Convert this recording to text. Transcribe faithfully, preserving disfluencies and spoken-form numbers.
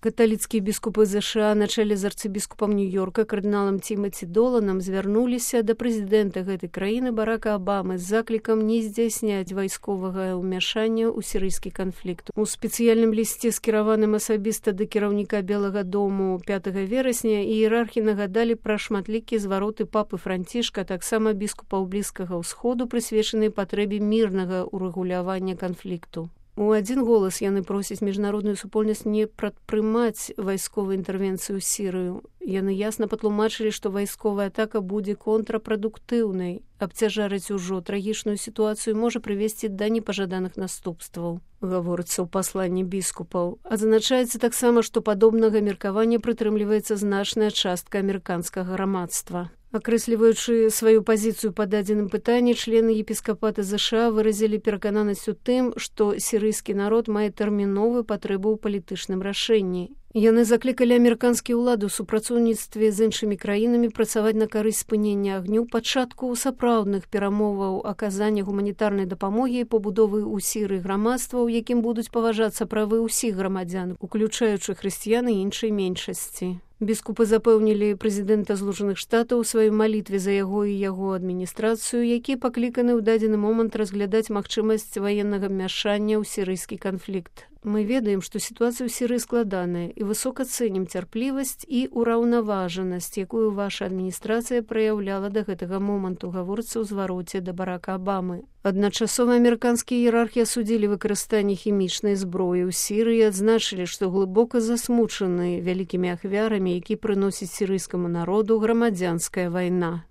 Каталіцкія біскупы ЗША на чале з арцыбіскупам Нью-Йорка кардыналам Тимати Доланам звярнуліся да прэзідэнта гэтай краіны Барака Абамы з заклікам не здзяйсняць вайсковага ўмяшання ў сірыйскі канфлікт. У спецыяльным лісце, скіраваным асабіста да кіраўніка Белага дому пятага верасня, іерархі нагадалі пра шматлікія звароты папы Францішка, таксама біскупаў Блізкага ўсходу, прысвечанай патрэбе мірнага ўрэгулявання канфлікту. У адзін голас яны просяць міжнародную супольнасць не прадпрымаць вайсковую інтэрвенцыю ў Сірыю. Яны ясна патлумачылі, што вайсковая атака будзе контрапрадуктыўнай. Абцяжарыць ужо трагічную сітуацыю можа прывесці да непажаданых наступстваў, гаворыцца ў пасланні біскупаў. Адзначаецца таксама, што падобнага меркавання прытрымліваецца значная частка амерыканскага грамадства. Акрэсліваючы сваю пазіцыю па дадзеным пытанні, члены епіскапата ЗША выразілі перакананасць у тым, што сірыйскі народ мае тэрміновую патрэбу ў палітычным рашэнні. Яны заклікалі амерыканскія ўлады ў супрацоўніцтве з іншымі краінамі працаваць на карысць спынення агню, пачатку сапраўдных перамоваў, аказання гуманітарнай дапамогі і пабудовы ў Сірыі грамадства, у якім будуць паважацца правы ўсіх грамадзян, уключаючы хрысціян і іншай меншасці. Біскупы запэўнілі прэзідэнта Злучаных Штатаў у сваёй малітве за яго і яго адміністрацыю, які пакліканы ў дадзены момант разглядаць магчымасць ваеннага ўмяшання ў сірыйскі канфлікт. Мы ведаем, што сітуацыя ў Сірыі складаная і высока цэнім цярплівасць і ўраўнаважанасць, якую ваша адміністрацыя праяўляла да гэтага моманту, гаворыцца ў звароце да Барака Абамы. Адначасова амерыканскія іерархі асудзілі выкарыстанне хімічнай зброі ў Сірыі і адзначылі, што глыбока засмучаны вялікімі ахвярамі, які прыносіць сірыйскаму народу грамадзянская вайна.